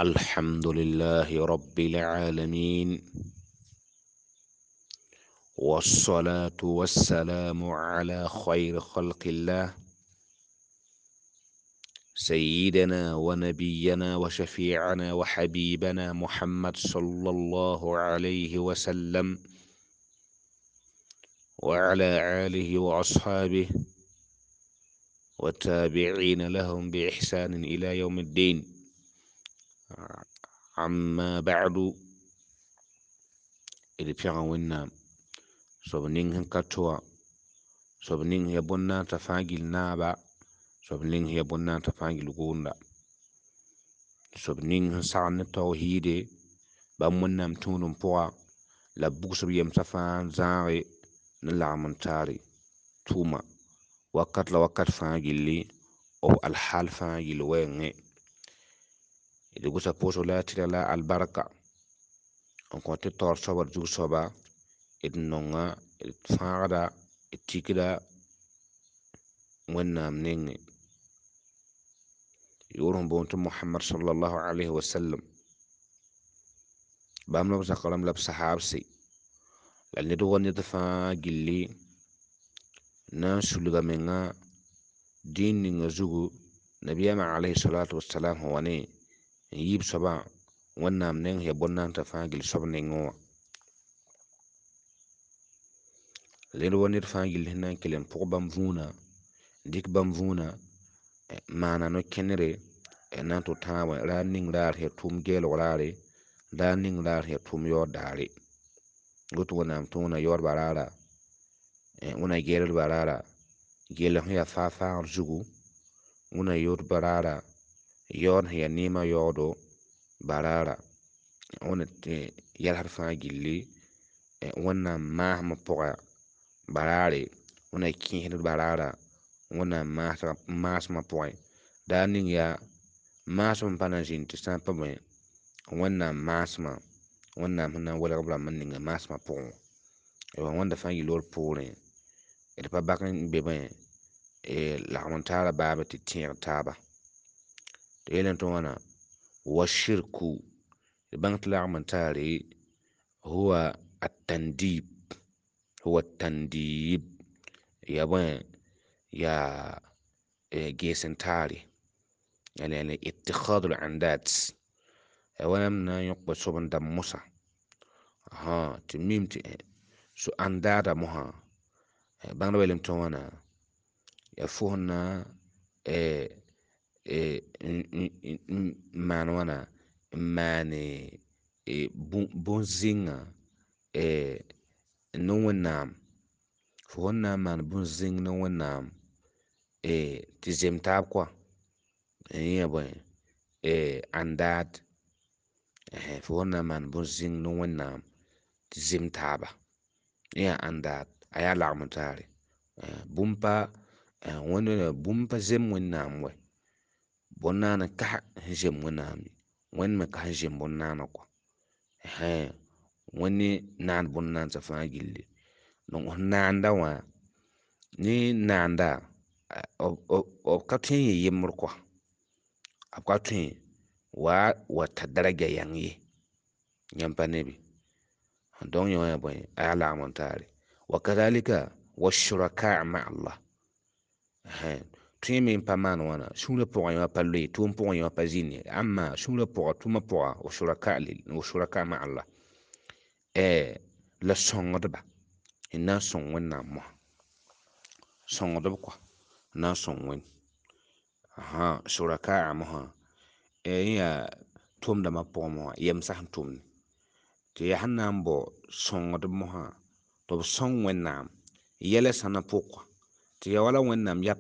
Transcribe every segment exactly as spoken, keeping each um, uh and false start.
الحمد لله رب العالمين، والصلاة والسلام على خير خلق الله سيدنا ونبينا وشفيعنا وحبيبنا محمد صلى الله عليه وسلم وعلى آله وأصحابه والتابعين لهم بإحسان إلى يوم الدين. أما بعد، d pẽga Wẽnnaam soab ning sẽn ka to wã, soab ning sẽn ya bõn-naandsã fãa gill naaba, soab ning sẽn ya bõn-naandsã fãa gill gʋʋnda, soab ning sẽn sagend ne tawhiide bãmb Wẽnnaam tũudem pʋga la b bugs b yemsã fãa n zãage ne lagem n taare tʋʋma wakat la wakat fãa gilli, b alhaal fãa gill wɛɛngẽ. D gʋsa pʋʋsg la a tɩrg la a albarka n kõ tɩ taoor soaba d zug soaba, d nonga, d fãagda, d tikda Wẽnnaam nengẽ, yʋʋr sẽn boond tɩ Mohamad sallallahu alayhi wa sallam, bãmb la b zak rãmb la b sahaabse la ned wa ned fãa gilli na n sulga menga dĩin ninga zugu nabiyaamã alayhi salatu wasalam sẽn wa ne n yiib soabã Wẽnnaam neng sẽn ya bõn-naandsã fãa gill soab nengẽ wã. Ned wa ned fãa gill sẽn na n kell n pʋg bãmb võona, dɩk bãmb võona maana no-kẽnere n na n tʋ tãabẽ raar ning raar sẽn ya tʋʋm geelg raare, raar ning raar sẽn ya tʋʋm yaood daare. Woto Wẽnnaam tɩ wẽna yaoodbã raara, wẽna geeldbã raara, geelg sẽn ya faa-faagr zugu, wẽna yoodbã raara, yaood sẽn ya neemã yaoodo baraara, wẽna yɛlsd fãa gilli Wẽnnaam maasmã pʋga baraare, wẽna kẽesd baraara Wẽnnaam maasmã pʋgẽ. Daar ning yaa maasem n pa na n zĩnd tɩ sã n pa bõe Wẽnnaam maasmã, Wẽnnaam sẽn na n welg b rãmb n ninga maasmã pʋgẽ wã. Wẽnda fãa yel-wor poorẽ d pa bak n be bõe lagem n taara baaba tɩ tẽeg taaba. Tɩ yeelame tɩ wãna wa shirku, d bãng tɩ lagem n taare huwa atandib, huwa tandib ya bõe yaa gees n taare, yani ittikhad al-andat, Wẽnnaam na n yõk soab n dãmb mosã tɩ mim tɩ so andada mosã bãngdbã yeelame tɩ wãna yaa fo sẽn na n maan wãna n maane bõn-zẽngã ne Wẽnnaam, fo sẽn na n maan bõn-zẽng ne Wẽnnaam tɩ zem taab koa yẽ yaa bõe andad, fo sẽn na n maan bõn-zẽng ne Wẽnnaam tɩ zem taaba yẽ yaa andad, a yaa lagem n taare. Bũmb pa bũmb pa zem Wẽnnaam wɛ, bõn-naana ka sẽn zem Wẽnnaam ye, Wẽnd me ka sẽn zem bõn-naana kɔa, Wẽnd naand bõn-naansã fãa gilli. Donc f naanda wã ne naanda b ka tõe n yɩ yembr kɔa, b ka tõe wa wa ta daraja yãng ye, yãmb pa ne bɩ. Donc yẽ wã yaa bõe a yaa lagem n taare. Wa kazalika wa shuraka ma Allah, tõe me n pa maan wãna sũurã pʋgẽ wã pa loe, tʋʋm pʋgẽ wã pa zĩnd ye, amma sũurã pʋga tʋʋmã pʋga wa shuraka wa shuraka ma Allah la sõngdba n na n sõng Wẽnnaam mosã, sõngdb kɔa n na n sõng Wẽnd shuraka mosã yẽ yaa tʋʋmdãmbã pʋgẽ mosã yemsã sẽn tʋmde tɩ yaa sẽn na n bao sõngdb mosã tɩ b sõng Wẽnnaam yɛlã sãnã pʋgã, tɩ yaa wala Wẽnnaam yaa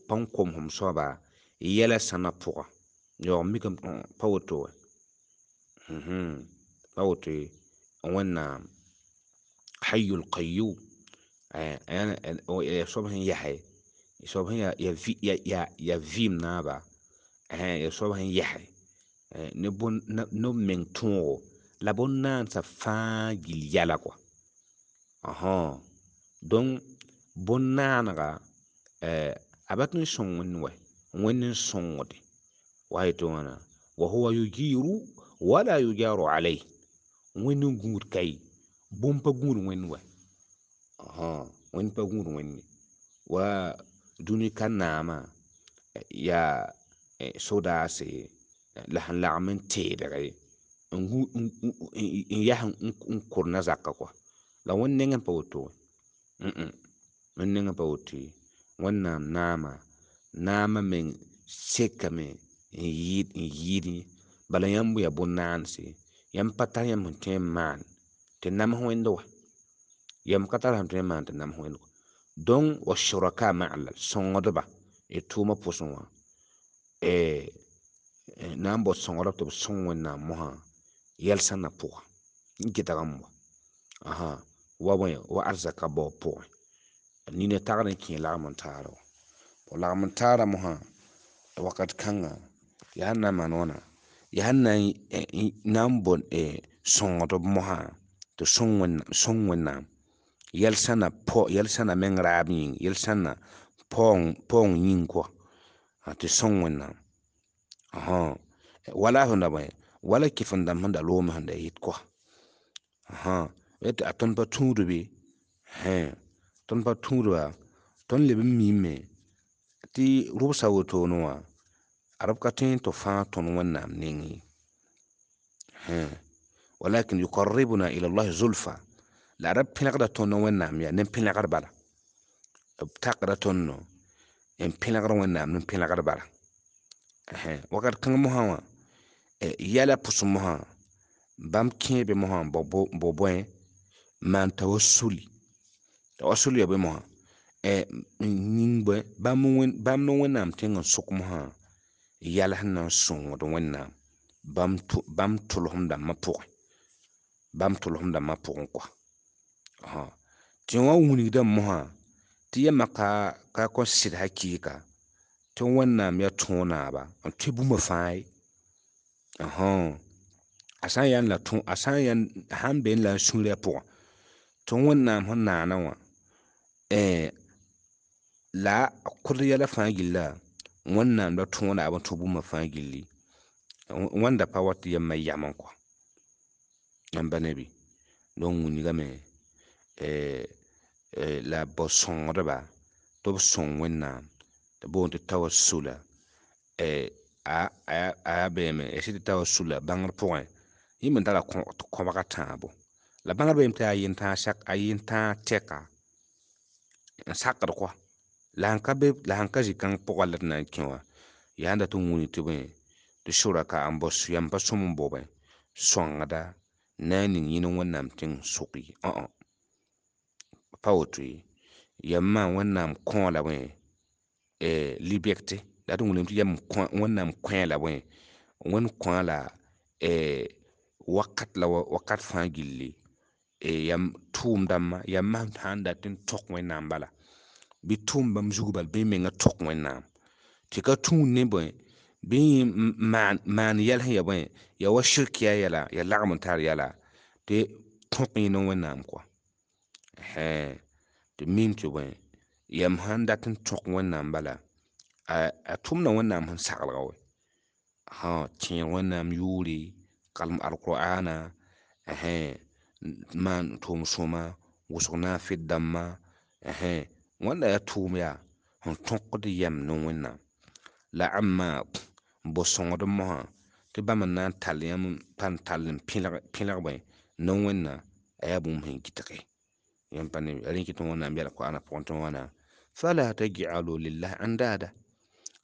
pãn komsem soaba yɛlã sãnã pʋga. Yaoog mikame pa woto wɛ, pa woto ye. Wẽnnaam hayyul qayyum yaa soab sẽn yɛsɛ, soab sẽn yaa vɩɩm naaba, yaa soab sẽn yɛsɛ ne b meng tõogo la bõn-naansã fãa gill yɛla kɔa. Donc bõn-naanega a pa tõe n sõng Wẽnd wɛ, Wẽnd n sõngde wa yetɩ wãna Wa huwa yujiru wala yujaru alayh. Wẽnd n gũud kai bũmb pa gũud wẽnd wa. Wẽnd pa gũud wẽnd wa dũni ka naamã yaa sodaase la sẽn lagem n teedge n yas n kʋr na-zakã kɔa. La wẽnd nengẽ pa woto wã. Wẽnd nengẽ pa woto ye. Wẽnnaam naama, naamã meng sekame n yɩɩd n yɩɩd yẽ. Bala yãmb yaa bõn-naanse, yãmb pa tar yãmb sẽn tõe n maan tɩ nams wẽnd wa. Yãmb ka tar sẽn tõe n maan tɩ nams wẽnd wa. Donc wa shuraka ma'a sõngdba y tʋʋmã pʋsẽ wã na n bao sõngdb tɩ b sõng Wẽnnaam mosã yɛl-sãnã pʋga n gɩdg n wa. Wa bõe wa arzaka baoog pʋgẽ. Nina tagd n kẽ lagem n taara wã. Lagem n taara mosã wakat kãnga yaa sẽn na n maan wãna yaa sẽn na n bao sõngdb mosã tɩ sõng Wẽnnaam yɛl-sãna yɛl-sãna meng raab yĩng yɛl-sãna paoong yĩng kɔa tɩ sõng Wẽnnaam. Wala sẽn da bõe wala kɩf-n-dãmb sẽn da loome sẽn da yɩt kɔa. A tõnd pa tũud be tõnd pa tũudba tõnd leb n miime tɩ rʋbsa wotone wã ad b ka tõe tɩ fãa tõnd Wẽnnaam neng ye. Walakin yuqarribuna ila llahi zulfa la ad b pẽlgda tõnd Wẽnnaam yaa ne pẽlgr bala. B takda tõndo n pẽlgd Wẽnnaam ne pẽlgr bala. Wakat kãng mosã wã yɛla pʋsẽ mosã bãmb kẽebe mosã n bao bõe maan tawassuli. Tawassuli yaa bõe mosã n yĩng bõe bãmb ne Wẽnnaam tẽng n sʋk mosã yɛl sẽn na n sõngd Wẽnnaam bãmb tʋlsem dãmbã pʋgẽ. Bãmb tʋlsem dãmbã pʋgẽ kɔa. Tɩ wã wilgdame mosã tɩ yãmba ka ka kõn sɩd hakɩɩka tɩ Wẽnnaam yaa tõog naaba n tõe bũmb fãa ye. A sã n yaa la a sã n yaa sãn beẽ la a sũurã pʋgẽ tɩ Wẽnnaam sẽn naana wã la a kʋd yɛla fãa gilla Wẽnnaam la tõog naab n tũ bũmb fãa gilli. Wãnda pa wat tɩ yãmba yam n kɔ. Yãmb pa ne bɩ? Donc wilgame la b bao sõngdba tɩ b sõng Wẽnnaam tɩ boond tɩ tawassula a yaa beeme ya sɩd tɩ tawassula bãngr pʋgẽ yẽ me tara kõbga tãabo. La bãngr beeme tɩ yaa a yentãag tɛka n sakd kɔa. La sẽn ka be la sẽn ka zĩ-kãng pʋgã la d na n kẽ wã yaa sẽn dat n wilg tɩ bõe tɩ shuraka n bao yãmb pa sõm n bao bõe sõngda na n ning yẽ ne Wẽnnaam tẽng sʋk ye. Pa woto ye. Yãmbã Wẽnnaam kõ la bõe liberté la d wilgame tɩ yãmb Wẽnnaam kõ la bõe Wẽnd kõ la wakat la wakat fãa gilli yãmb tʋʋm dãmbã yãmb sãn dat n tõk Wẽnnaam bala bɩ tʋʋm bãmb zug bal bɩ y menga tõk Wẽnnaam tɩ ka tũud ne bõe bɩ maan maan yɛl sẽn ya bõe ya wa shirkiya yɛla ya lagem n tar yɛla tɩ tõk yẽ ne Wẽnnaam kɔa. Tɩ mim tɩ bõe yãmb sãn dat n tõk Wẽnnaam bala a tʋmda Wẽnnaam sẽn saglga wɛ. Tẽeg Wẽnnaam yʋʋre kalem alqur'ana maan tʋʋm sõma wʋsg naafɩt dãmbã wãnda yaa tʋʋm yaa sẽn tõkd yɛm ne Wẽnnaam. La ãmba n bao sõngd mosã tɩ bãmb n na n tall yãmb pa n tall n pẽlg bõe ne Wẽnnaam a yaa bũmb sẽn gɩdge. Yãmb pa ne rẽ kɩ tɩ Wẽnnaam yɛl Qur'ana pʋgẽ tɩ wãna fala taj'alu lillahi andada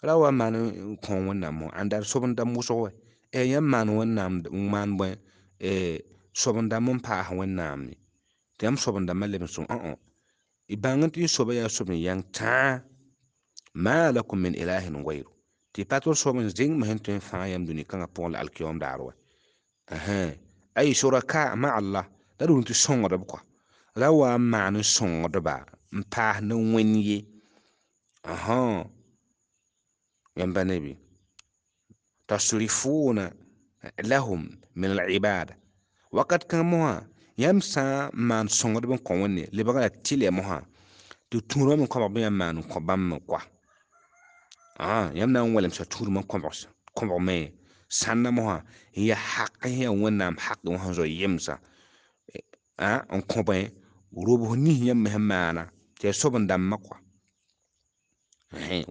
ra wa maan n kõ Wẽnnaam mosã andad sob-n-dãmb wʋsg wɛ. Yãmb maan Wẽnnaam maan bõe sob-n-dãmb n paas Wẽnnaam ye tɩ yãmb sob-n-dãmbã leb n sõm õ y bãng tɩ y soaba yaa soab n yãng tãa ma lakum min ilahin gayru tɩ pa tɩ soab n zẽng sẽn tõe n fãag yãmb dũni kãngã pʋgẽ la alkiyom daar wɛ. Ay shuraka ma Allah la d wʋm tɩ sõngdb kɔa ra wa n maan n sõngdba n paas ne Wẽnd ye. Yãmb pa ne bɩ tasrifuna lahum min al-ibada wakat kãng mosã yãmb sã n maan sõngdb n kõ Wẽnde lebga la tɩlɛ mosã tɩ tũudmã me kõbg bɩ yãmb maan n kõ bãmb me koa. Yãmb na n wẽlemsa tũudmã kõbg me Sãnda mosã n yaa haq sẽn yaa Wẽnnaam haq wã sẽn zoe yemsã n kõ bõe robs nins yãmb me sẽn maana tɩ yaa sob n dãmbã kɔa.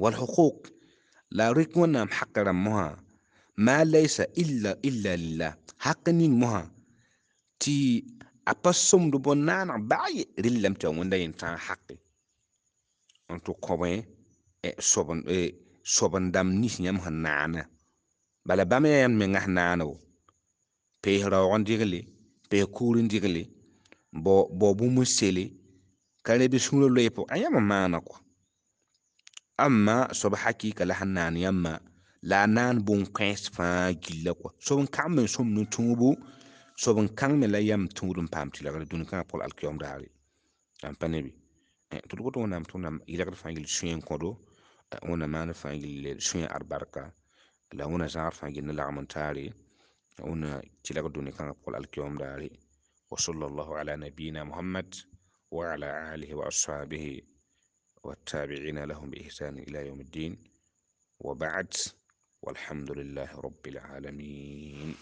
Wal huquq la a rɩk Wẽnnaam haq rãmb mosã ma laysa illa illa lillah haq ning mosã tɩ a pa sõmd bõn-naaneg baa ye rel lame tɩ yaa Wẽnda yẽn tãag haqe n tɩ kõ bõe soab n dãmb nins yãmb sẽn naana. Bala bãmb yaa yãmb menga sẽn naane wo pees raoog n dɩgle pees kugr n dɩgle bao bũmb n sele ka rẽ bɩ sũurã loe pʋgẽ a yãmb n maana kɔa. Amma soab hakɩɩka la sẽn naan yãmbã la a naan bõn-kãens fãa gilla kɔa. Soab n kãng me n sõmd n tũubu soab n kãng me la yam tũud n paam tɩlgre dũni kãngã pʋgã la alkiyom daare. Ãn pa ne bɩ tɩ d woto Wẽnnaam tɩ Wẽnnaam yɩlgd fãa gill sũyã n kõdo Wẽnnaam maand fãa gill sũyã albarka la Wẽnna zãagd fãa gill ne lagem n taare Wẽnna tɩlg dũni kãngã pʋgã la alkiyom daare. Wa sallallahu ala nabiyina Muhammad wa ala alihi wa ashabihi والتابعين لهم بإحسان إلى يوم الدين وبعد والحمد لله رب العالمين.